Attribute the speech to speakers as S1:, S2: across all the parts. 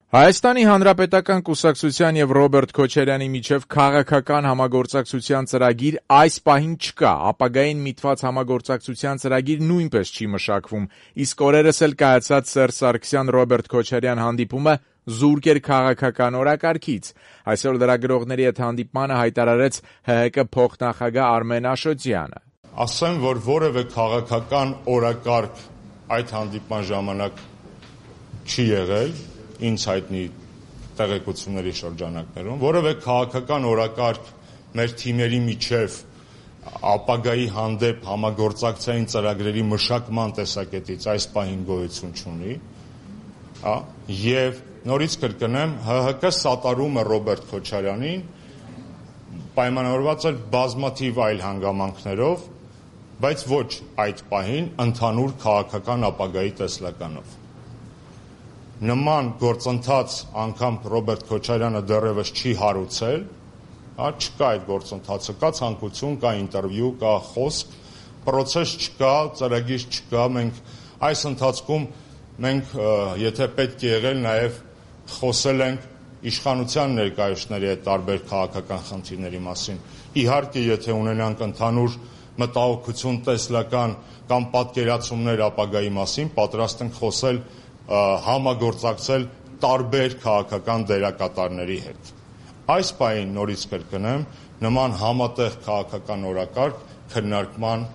S1: Հայաստանի Հանրապետական կուսակցության եւ Ռոբերտ Քոչարյանի միջև քաղաքական համագործակցության ծրագիր այս պահին չկա, ապագային միտված համագործակցության ծրագիր նույնպես չի մշակվում, իսկ օրերս էլ կայացած Սերժ Սարգսյան-Ռոբերտ Քոչարյան հանդիպումը զուրկ էր քաղաքական օրակարգից։ Այսօր լրագրողների հետ հանդիպմանը հայտարարեց ՀՀԿ փոխնախագահ Արմեն Աշոտյանը։
S2: Ասեմ, որ որևէ քաղաքական օրակարգ այդ հանդիպման ժամանակ չի եղել, ինձ հայտնի տեղեկությունների շրջանակներում, որևէ քաղաքական օրակարգ մեր թիմերի միջև ապագայի հանդեպ համագործակցային ծրագրերի մշակման տեսակետից այս պահին գոյություն չունի, եւ նորից կրկնեմ, ՀՀԿ սատարում է Ռոբերտ Քոչարյանին, պայմանավորված է բազմաթիվ այլ հանգամանքներով, բայց ոչ այդ պահին ընդհանուր քաղաքական ապագայի տեսլականով։ Նման գործընթաց անգամ Ռոբերտ Քոչարյանը դեռևս չի հարուցել, չկա այդ գործընթացը, կա ցանկություն, կա ինտերվյու, կա խոսք, պրոցես չկա, ծրագիր չկա, մենք այս ընթացքում եթե պետք է եղել, նաև խոսել ենք իշխանության ներկայացուցիչների հետ տարբեր քաղաքական խնդիրների մասին։ Իհարկե, եթե ունենանք ընդհանուր մտահոգություն տեսլական կամ պատկերացումներ ապագայի մասին, պատրաստ ենք խոսել համագործակցել տարբեր քաղաքական դերակատարների հետ։ Այս պահին նորից կրկնեմ, նման համատեղ քաղաքական օրակարգ քննարկման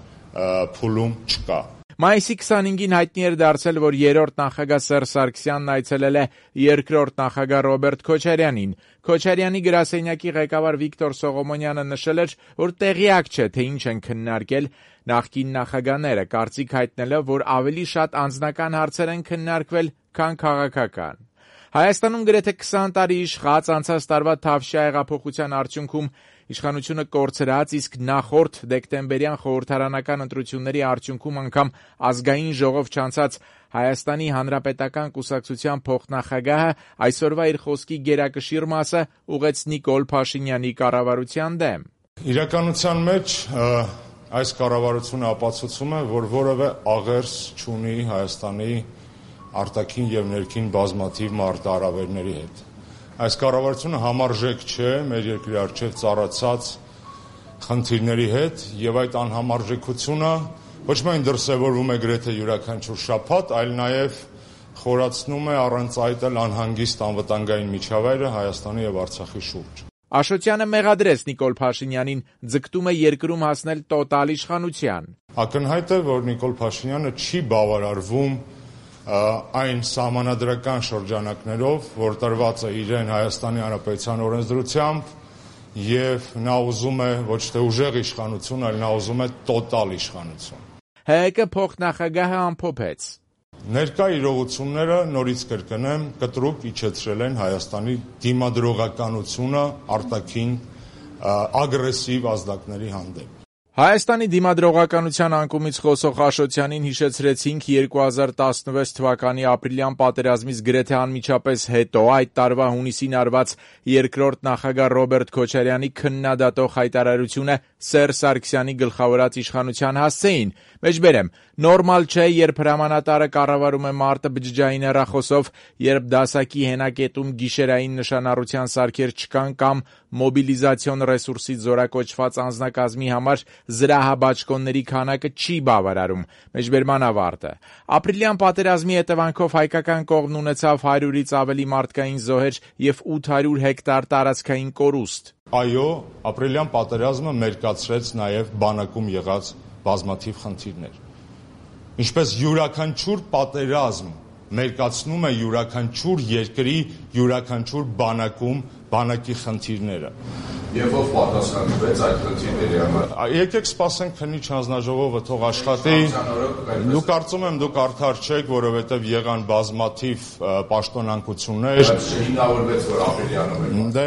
S2: փուլում չկա։
S1: Մայիսի 25-ին հայտնի էր դարձել, որ երրորդ նախագահ Սերժ Սարգսյանն այցելել է երկրորդ նախագահ Ռոբերտ Քոչարյանին։ Քոչարյանի գրասենյակի ղեկավար Վիկտոր Սողոմոնյանը նշել էր, որ տեղյակ չէ, թե ինչ են քննարկել նախկին նախագահները, կարծիք հայտնելով, որ ավելի շատ անձնական հարցեր են քննարկվել, քան քաղաքական։ Հայաստանում գրեթե 20 տարի իշխած անցած տարվա Թավշյա հեղափոխության արդյունքում իշխանությունը կորցրած, իսկ նախորդ դեկտեմբերյան խորհրդարանական ընտրությունների արդյունքում անգամ ազգային ժողով չանցած Հայաստանի Հանրապետական կուսակցության փոխնախագահը այսօրվա իր խոսքի գերակշիռ մասը ուղեց Նիկոլ Փաշինյանի կառավարության դեմ։
S2: Իրականության մեջ այս կառավարությունը ապացուցում է, որ որևէ աղերս չունի Հայաստանի արտաքին եւ ներքին բազմաթիվ մարտահրավերների հետ։ Այս կառավարությունը համարժեք չէ մեր երկրի առջև ծառացած խնդիրների հետ եւ այդ անհամարժեքությունը ոչ միայն դրսեւորվում է գրեթե յուրաքանչյուր շաբաթ, այլ նաեւ խորացնում է առանց այդ էլ անհանգիստ անվտանգային միջավայրը Հայաստանի եւ Արցախի շուրջ։
S1: Աշոտյանը մեղադրեց Նիկոլ Փաշինյանին, ձգտում է երկրում հասնել տոտալ իշխանության։
S2: Ակնհայտ է, որ Նիկոլ Փաշինյանը չի բավարարվում այն սահմանադրական շրջանակներով, որ տրված է իրեն Հայաստանի Հանրապետության օրենսդրությամբ եւ նա ուզում է ոչ թե ուժեղ իշխանություն, այլ նա ուզում է տոտալ իշխանություն։
S1: ՀՀԿ փոխնախագահը ամփոփեց.
S2: Ներկա իրողությունները, նորից կրկնեմ, կտրուկ իջեցրել են Հայաստանի դիմադրողականությունը արտաքին ագրեսիվ ազդակների հանդեպ։
S1: Հայաստանի դիմադրողականության անկումից խոսող Աշոտյանին հիշեցրեցինք 2016 թվականի ապրիլյան պատերազմից գրեթե անմիջապես հետո այդ տարվա հունիսին արված երկրորդ նախագահ Ռոբերտ Քոչարյանի քննադատող հայտարարությունը Սերժ Սարգսյանի գլխավորած իշխանության հասցեին։ Մեջբերեմ, նորմալ չէ, երբ հրամանատարը կառավարում է մարտը բջջային հեռախոսով, երբ դասակի հենակետում գիշերային նշանառության սարքեր չկան կամ մոբիլիզացիոն ռեսուրսից զորակոչված անձնակազմի համար զրահաբաճկոնների քանակը չի բավարարում։ Մեջբերման ավարտը։ Ապրիլյան պատերազմի հետևանքով հայկական կողմն ունեցավ 100-ից ավելի մարդկային զոհեր եւ 800 հեկտար տարածքային կորուստ։
S2: Այո, ապրիլյան պատերազմը մերկացրեց նաեւ բանակում եղած բազմաթիվ խնդիրներ։ Ինչպես յուրաքանչյուր պատերազմ մերկացնում է յուրաքանչյուր երկրի յուրաքանչյուր բանակի խնդիրները։
S3: Եվ ով պատասխանատու է այդ խնդիրների համար։
S2: Եկեք սպասենք քննիչ հանձնաժողովը թող աշխատի։ Դու կարծում եմ դուք արդար չեք, որովհետև եղան բազմաթիվ պաշտոնանկություններ։
S3: Բայց չհինավուրվեց, որ ապրիլյանը։
S2: Դե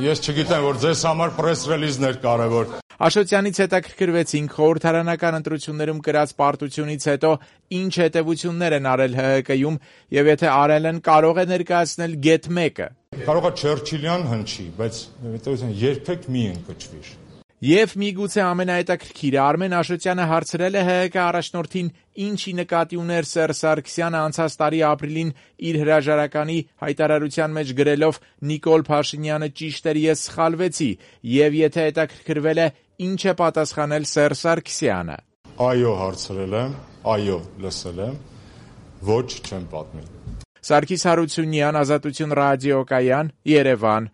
S2: ես չգիտեմ, որ ձեզ համար պրես ռելիզներ կարևոր։
S1: Աշոտյանից հետաքրքրվեցինք խորհրդարանական ընտրություններում կրած պարտությունից հետո ինչ հետևություններ են արել ՀՀԿ-ում եւ եթե արել են, կարող է ներկայացնել գետ 1-ը։
S2: Կարող է Չերչիլյան հնչի, բայց երբեք մի ընկճվիր։
S1: Եվ միգուցե ամենահետաքրքիրը, Արմեն Աշոտյանը հարցրել է ՀՀԿ առաջնորդին, ինչի նկատի ուներ Սերժ Սարգսյանը անցած տարի ապրիլին իր հրաժարականի հայտարարության մեջ գրելով «Նիկոլ Փաշինյանը ճիշտ էր, ես սխալվեցի», եւ եթե հետաքրքրվել է, ինչ է պատասխանել Սերժ Սարգսյանը։
S2: Այո, հարցրել եմ, այո, լսել եմ, ոչ չեմ պատմի։
S1: Սարգիս Հարությունյան, Ազատություն ռադիոկայան, Երևան։